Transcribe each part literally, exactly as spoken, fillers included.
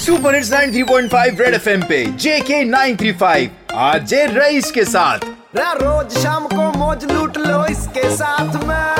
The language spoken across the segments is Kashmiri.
Super hits ninety three point five red FM पे JK nine three five, RJ Rais के साथ। रा रोज शाम को मौज लूट लो इसके साथ में।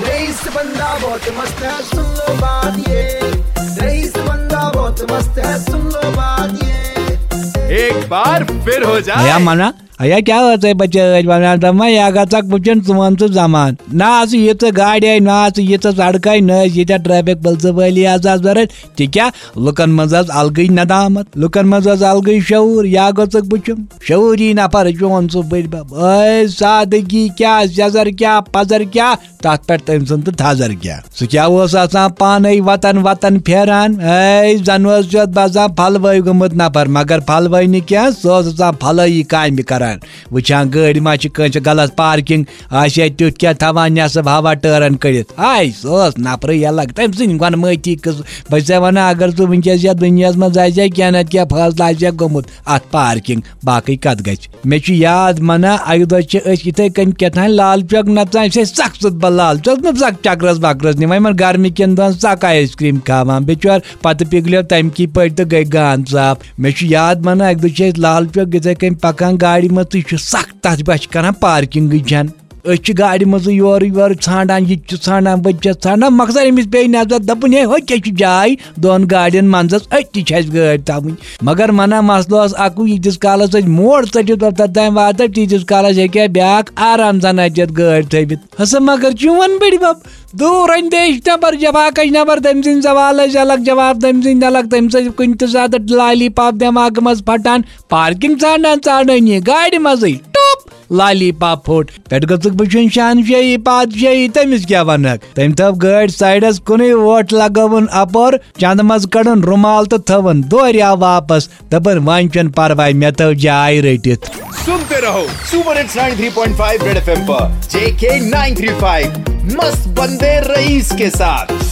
रईस बंदा बहुत मस्त है, सुन लो बात ये। रईस बंदा बहुत मस्त है, सुन लो बात ये। एक बार फिर हो जाए। یا منا ایا کیا ٲسے بچٲے ونان دپان یا گژھکھ وٕچھُن ژٕ وَن ژٕ زمان۔ نہ آسہٕ ییٖژٕ گاڑِ آے، نہ آسہٕ ییٖژٕ سڑکہٕ آے، نہ ٲسۍ ییٖتیٛاہ ٹریفک پُلسہٕ وٲلی آسہٕ ضروٗرت۔ تہِ کیٛاہ؟ لُکن منٛز ٲس الگٕے ندامت، لُکن منٛز ٲس الگٕے شعوٗر۔ یا گوٚژھکھ وٕچھُن شعوٗری نفر چون سُہ بٔڈۍ بب۔ ٲے سادگی کیٛاہ، سیٚزر کیٛاہ، پزر کیٛاہ، تتھ پٮ۪ٹھ تٔمۍ سُنٛد تہٕ تھزر کیٛاہ۔ سُہ کیٛاہ اوس آسان پانے وتن وتن پھیران؟ اے زن اوس یتھ باسان پھلوٲے گوٚمُت نفر، مگر پھلوٲے نہٕ کینٛہہ، سُہ اوس آسان پھلٲیی کامہِ کران۔ وٕچھان گٲڑۍ ما چھِ کٲنٛسہِ غلط پارکنگ، آسہِ ہے تیُتھ کینٛہہ تھاوان نٮ۪صٕب ہوا ٹٲرن کٔڑِتھ۔ آے سُہ اوس نفرٕے الگ، تٔمۍ سٕنٛدۍ گۄنہٕ مٲتی قٕصہٕ۔ بہٕ چھسے ونان اگر ژٕ وٕنکیٚس یتھ دُنیاہس منٛز آسہِ ہے کینٛہہ نتہٕ کینٛہہ فٲصلہٕ آسہِ ہے گوٚمُت، اتھ پارکنگ باقٕے کتھ گژھِ۔ مےٚ چھُ یاد منا اکہِ دۄہ چھِ أسۍ یِتھے کٔنۍ کیٛاہ تام لال چوک نژان، أسۍ ٲسۍ سخ سُتھ بل لال چوک نہٕ سخ چکرس وکرس نِوان، یِمن گرمی کٮ۪ن دۄہن سخ آیس کریم کھاوان، بِچور پتہٕ پِگلیو تمہِ کی پٲٹھۍ تہٕ گٔے گان صاف۔ مےٚ چھُ یاد منا اکہِ دۄہ چھِ أسۍ لال چوک یِتھے کٔنۍ پکان گاڑِ منٛز تہٕ یہِ چھُ سخ تتھ بس چھِ کران پارکنگٕے چھنہٕ۔ أسۍ چھِ گاڑِ منٛزٕے یورٕ یورٕ ژھانڈان، یہِ تہِ چھِ ژھانڈان، بہٕ تہِ چھَس ژھانڈان، مۄخصر أمِس پیٚیہِ نظر، دَپُن، "ہے، ہُہ کیٛاہ چھُ جاے دۄن گاڑٮ۪ن منٛزَس، أتھی چھِ اَسہِ گٲڑۍ تھاوٕنۍ؟" مگر مَنا مسلہٕ اوس اَکُے، ییٖتِس کالَس أسۍ موڑ ژٔٹِتھ اوٚتَتھ تام واتو، تیٖتِس کالَس ہیٚکہِ ہا بیٛاکھ آرام سان اَتہِ یَتھ گٲڑۍ تھٲوِتھ۔ ہسا مگر چون بٔڈِ بَب، دوٗر اندیش نفر، جفاکش نفر، تٔمۍ سٕنٛدۍ سوال ٲسۍ الگ، جواب تٔمۍ سٕنٛدۍ الگ، تٔمۍ سۭتۍ کُنہِ تہِ ساتہٕ لالی پاپ دٮ۪ماغہٕ منٛز پھٹان، پارکنگ ژھانڈان ژھانڈٲنی گاڑِ منٛزٕے ٹوپ۔ لالی پاپ پھوٚٹ۔ پٮ۪ٹھ گٔژھٕکھ وٕچھِنۍ شہنشٲہی پادشٲہی، تٔمِس کیٛاہ وَنَکھ؟ تٔمۍ تھٲو گٲڑۍ سایڈَس کُنُے، ووٹ لگٲوٕن اَپور، چندٕ منٛز کٔڑٕن رُمال تہٕ تھٲوٕن دورِ آو واپس۔ دَپان، "وۄنۍ چھُنہٕ پرواے، مےٚ تھٲو جاے رٔٹِتھ۔" सुनते रहो super hits ninety three point five red FM पर जेके नाइन थ्री फ़ाइव, मस्त बंदे रईस के साथ।